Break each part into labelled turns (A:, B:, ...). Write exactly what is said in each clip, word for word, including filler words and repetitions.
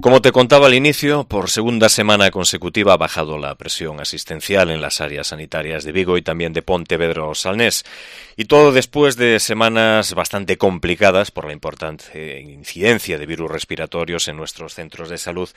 A: Como te contaba al inicio, por segunda semana consecutiva ha bajado la presión asistencial en las áreas sanitarias de Vigo y también de Pontevedra Salnés. Y todo después de semanas bastante complicadas por la importante incidencia de virus respiratorios en nuestros centros de salud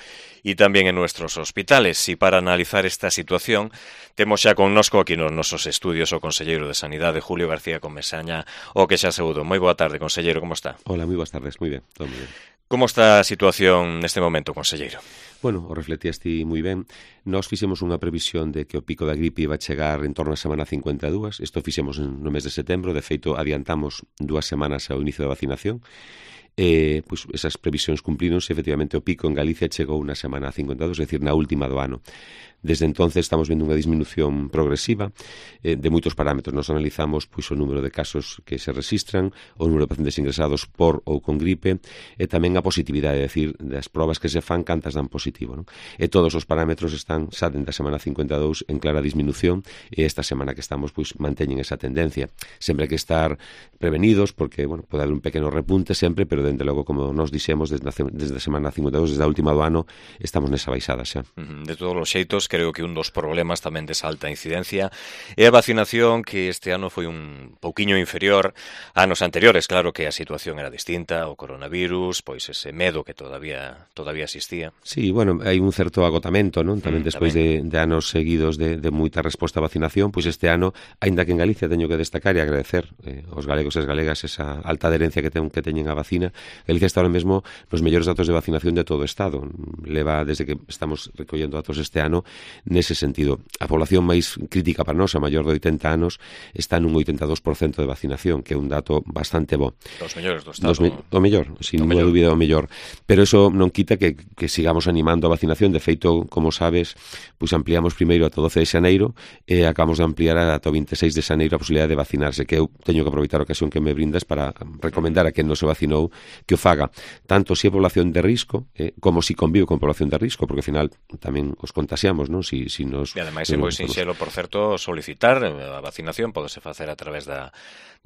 A: y también en nuestros hospitales. Y para analizar esta situación, temos xa connosco aquí nos nosos estudios o conselleiro de Sanidade, Julio García Comesaña, o que xa saúdo. Moi boa tarde, conselleiro, como está?
B: Hola, moi boas tardes, moi ben, todo moi ben.
A: Como está a situación neste momento, conselleiro?
B: Bueno, o refletías ti moi ben. Nós fixemos unha previsión de que o pico da gripe iba a chegar en torno a semana cincuenta e dúas. Isto fixemos no mes de setembro. De feito, adiantamos dúas semanas ao inicio da vacinación. Eh, pois esas previsións cumplíronse. Efectivamente, o pico en Galicia chegou na semana cincuenta e dúas, é dicir, na última do ano. Desde entonces estamos vendo unha disminución progresiva eh, de moitos parámetros. Nos analizamos pois, o número de casos que se registran, o número de pacientes ingresados por ou con gripe, e tamén a positividade, é dicir, das probas que se fan, cantas dan positivo. Non? E todos os parámetros están, xa dentro da semana cincuenta e dous, en clara disminución, e esta semana que estamos pois, manteñen esa tendencia. Sempre hai que estar prevenidos, porque bueno, pode haber un pequeno repunte sempre, pero dende logo, como nos dixemos, desde a, desde a semana cincuenta e dous, desde a última do ano, estamos nesa baixada xa.
A: De todos os xeitos, creo que un dos problemas tamén desa alta incidencia é a vacinación, que este ano foi un pouquiño inferior a anos anteriores. Claro que a situación era distinta, o coronavirus, pois ese medo que todavía todavía existía.
B: Sí, bueno, hai un certo agotamento, non? Tamén
A: mm,
B: despois
A: tamén.
B: De, de anos seguidos de, de moita resposta a vacinación, pois este ano, aínda que en Galicia teño que destacar e agradecer eh, aos galegos e as galegas esa alta adherencia que, ten, que teñen a vacina. Galicia está ahora mesmo nos mellores datos de vacinación de todo o Estado. Leva, desde que estamos recollendo datos este ano, nese sentido. A población máis crítica para nós, a maior de oitenta anos, está nun oitenta e dous por cento de vacinación, que é un dato bastante bo.
A: Dos mellores do Estado.
B: Me, o mellor, sin ninguna dúbida o mellor. Pero eso non quita que, que sigamos animando a vacinación. De feito, como sabes, pois ampliamos primeiro ata o doce de xaneiro e acabamos de ampliar ata o vinte e seis de xaneiro a posibilidade de vacinarse, que eu teño que aproveitar a ocasión que me brindas para recomendar a quen non se vacinou que o faga, tanto se é población de risco eh, como se si convive con población de risco, porque ao final tamén os contaxiamos, non? Si, si nos,
A: e ademais é moi sinxelo, por certo, solicitar a vacinación, podese facer a través da,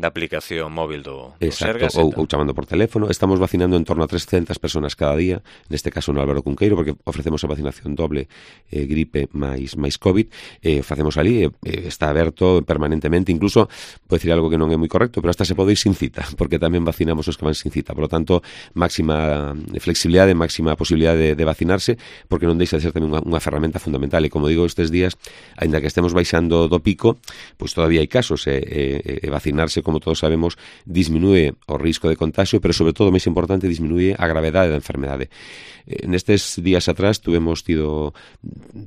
A: da aplicación móvil do, do
B: Exacto,
A: Sergas.
B: Ou, ou chamando por teléfono. Estamos vacinando en torno a trescentas personas cada día, neste caso no Álvaro Cunqueiro, porque ofrecemos a vacinación doble, eh, gripe máis, máis COVID, eh, facemos ali, eh, está aberto permanentemente, incluso, pode dicir algo que non é moi correcto, pero hasta se pode ir sin cita, porque tamén vacinamos os que van sin cita. Por lo tanto, máxima flexibilidade, máxima posibilidade de, de vacinarse, porque non deixa de ser tamén unha, unha ferramenta fundamental. E como digo, estes días, aínda que estemos baixando do pico, pois todavía hai casos, e, e, e vacinarse, como todos sabemos, disminúe o risco de contagio, pero sobre todo, máis importante, disminúe a gravedade da enfermedade. Eh, nestes días atrás tuvemos tido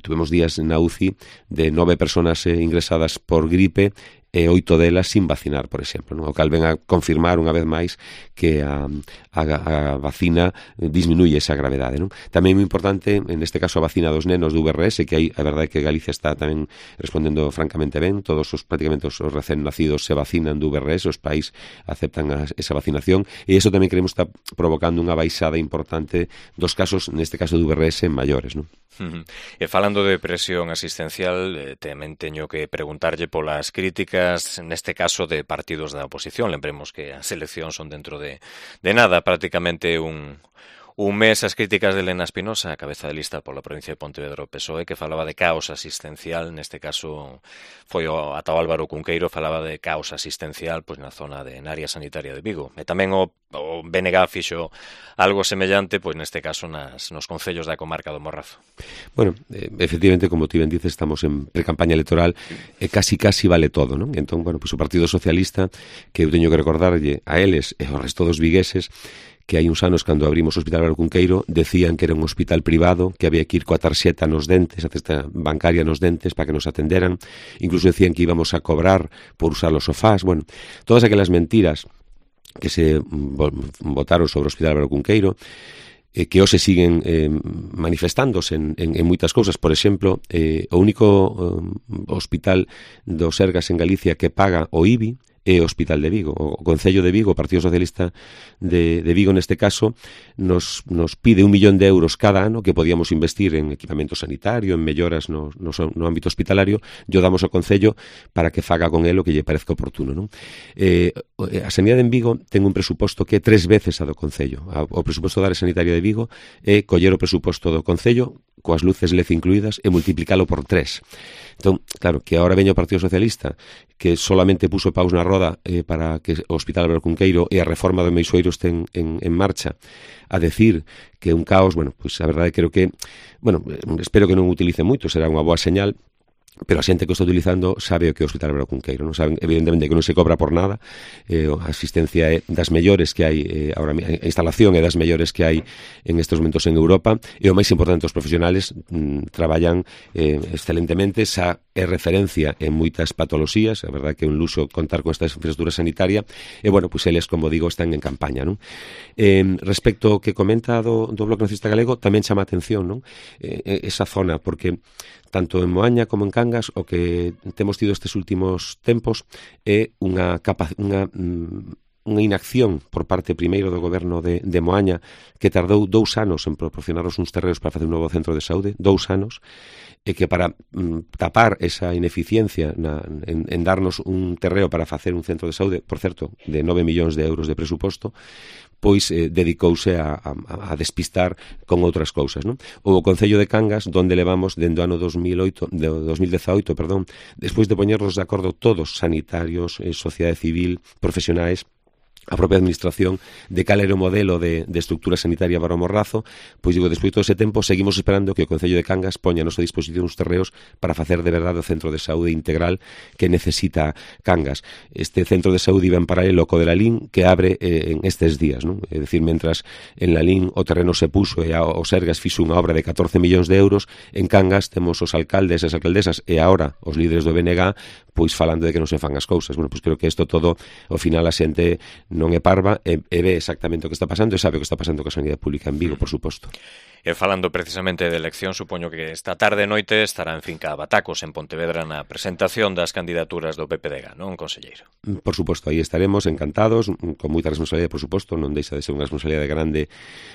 B: tuvemos días na U C I de nove personas eh, ingresadas por gripe e oito delas sin vacinar, por exemplo, non? O cal ven a confirmar unha vez máis que a, a, a vacina disminuye esa gravedade, non? Tamén é moi importante, en este caso, a vacina dos nenos do V R S, que hai, a verdade é que Galicia está tamén respondendo francamente ben, todos os prácticamente os recén nacidos se vacinan do V R S, os pais aceptan a, esa vacinación, e iso tamén creemos está provocando unha baixada importante dos casos, neste caso do V R S, maiores, non?
A: Uh-huh. E falando de presión asistencial, eh, tamén teño que preguntarlle polas críticas, neste caso de partidos da oposición. Lembremos que as eleccións son dentro de, de nada, prácticamente un... Un mes as críticas de Elena Espinosa, a cabeza de lista pola provincia de Pontevedra, o P S O E, que falaba de caos asistencial, neste caso foi o ata o Álvaro Cunqueiro, falaba de caos asistencial pois na zona de na área sanitaria de Vigo. E tamén o, o B N G fixo algo semellante, pois neste caso nas, nos concellos da comarca do Morrazo.
B: Bueno, eh, efectivamente, como ti ben dices, estamos en pre-campaña electoral e casi casi vale todo, non? Entón, bueno, pois o Partido Socialista, que eu teño que recordarlle a eles e ao resto dos vigueses, que hai uns anos, cando abrimos o Hospital Álvaro Cunqueiro, decían que era un hospital privado, que había que ir coa tarxeta nos dentes, a tarxeta bancaria nos dentes, para que nos atenderan. Incluso decían que íbamos a cobrar por usar os sofás. Bueno, todas aquelas mentiras que se botaron sobre o Hospital Álvaro Cunqueiro, eh, que hoxe siguen eh, manifestándose en, en, en moitas cousas. Por exemplo, eh, o único eh, hospital do Sergas en Galicia que paga o I B I e o Hospital de Vigo. O Concello de Vigo, o Partido Socialista de, de Vigo neste caso, nos, nos pide un millón de euros cada ano que podíamos investir en equipamento sanitario, en melloras no, no, no ámbito hospitalario, yo damos ao Concello para que faga con el o que lle parezca oportuno, non? Eh, a Sanidade en Vigo ten un presuposto que é tres veces a do Concello. O presuposto da área sanitaria de Vigo é coller o presuposto do Concello coas luces L E D incluídas e multiplicalo por tres. Entón, claro, que agora veña o Partido Socialista que solamente puso paus na roda eh, para que o Hospital Álvaro Cunqueiro e a reforma do Meixoeiro estén en, en marcha a decir que é un caos, bueno, pois a verdade creo que, bueno, espero que non utilice moito, será unha boa señal, pero a xente que o está utilizando sabe o que é o Hospital Álvaro Cunqueiro, non saben evidentemente que non se cobra por nada, eh, a asistencia é das mellores que hai eh, agora, a instalación é das mellores que hai en estes momentos en Europa, e o máis importante, os profesionales mm, traballan eh, excelentemente, xa é referencia en moitas patoloxías, a verdade que é un luxo contar con esta infraestructura sanitaria, e bueno, pois eles, como digo, están en campaña, non? Eh, respecto ao que comenta do, do Bloque Nacionalista Galego, tamén chama a atención, non? Eh, esa zona, porque tanto en Moaña como en Cangas o que temos tido estes últimos tempos é unha capa, unha unha inacción por parte primeiro do goberno de, de Moaña que tardou dous anos en proporcionarnos uns terreos para facer un novo centro de saúde, dous anos, e que para mm, tapar esa ineficiencia na, en, en darnos un terreo para facer un centro de saúde, por certo, de nove millóns de euros de presuposto, pois eh, dedicouse a, a, a despistar con outras cousas, non? O Concello de Cangas, donde levamos dende o ano dos mil oito, de dos mil dezaoito, perdón, despois de poñernos de acordo todos, sanitarios, eh, sociedade civil, profesionais, a propia administración, de cal era o modelo de, de estructura sanitaria para o Morrazo, pois digo, despois de todo ese tempo seguimos esperando que o Concello de Cangas poña a nosa disposición uns terreos para facer de verdade o centro de saúde integral que necesita Cangas. Este centro de saúde iba en paralelo co de Lalín, que abre eh, en estes días, non? É dicir, mentras en Lalín o terreno se puso e a, o Sergas fixo unha obra de catorce millóns de euros, en Cangas temos os alcaldes e as alcaldesas e agora os líderes do B N G pois falando de que non se fan as cousas. Bueno, pois creo que isto todo, ao final, a xente non é parva e, e ve exactamente o que está pasando e sabe o que está pasando coa sanidade pública en Vigo, por suposto.
A: E falando precisamente de elección, supoño que esta tarde e noite estará en finca Batacos, en Pontevedra, na presentación das candidaturas do P P D G, non, conselleiro?
B: Por suposto, aí estaremos encantados, con moita responsabilidade, por suposto, non deixa de ser unha responsabilidade grande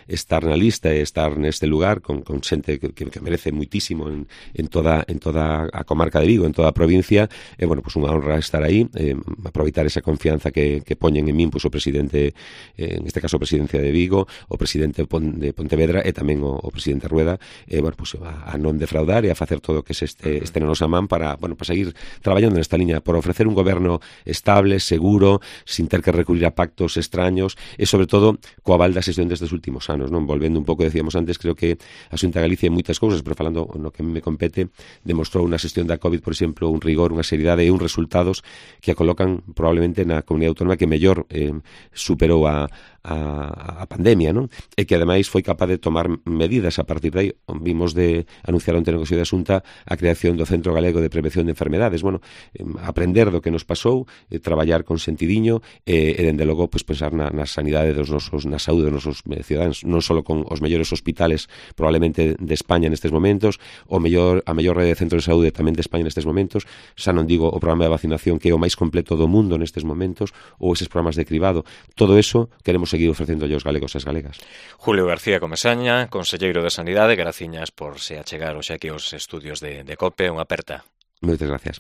B: estar na lista e estar neste lugar con, con xente que, que merece muitísimo en, en, toda, en toda a comarca de Vigo, en toda a provincia, e, bueno, pues unha honra estar aí, eh, aproveitar esa confianza que, que poñen en min, pues, o presidente, eh, en este caso, a presidencia de Vigo, o presidente de Pontevedra e tamén o o presidente Rueda, eh, bueno, pues, a, a non defraudar e a facer todo o que se este, este na nosa man para, bueno, para seguir traballando nesta liña, por ofrecer un goberno estable, seguro, sin ter que recurrir a pactos extraños e, sobre todo, coa aval da xestión destes últimos anos, non? Volvendo un pouco, decíamos antes, creo que a Xunta de Galicia en moitas cousas, pero falando no que a mí me compete, demostrou unha xestión da COVID, por exemplo, un rigor, unha seriedade e uns resultados que a colocan probablemente na comunidade autónoma que mellor eh, superou a A, a pandemia, non? E que ademais foi capaz de tomar medidas a partir de aí. Vimos de anunciar onte no Consello de Xunta a creación do Centro Galego de Prevención de Enfermedades. Bueno, eh, aprender do que nos pasou, eh, traballar con sentidiño e, e dende logo, pues, pensar na, na sanidade dos nosos, na saúde dos nosos cidadáns, non só con os mellores hospitales probablemente de España nestes momentos, o mellor, a mellor rede de centros de saúde tamén de España nestes momentos, xa non digo o programa de vacinación que é o máis completo do mundo nestes momentos, ou eses programas de cribado. Todo eso queremos seguir ofrecendo aos galegos e as galegas.
A: Julio García Comesaña, conselleiro de Sanidade, graciñas por se achegar hoxe aquí aos estudios de, de COPE, unha aperta.
B: Moitas gracias.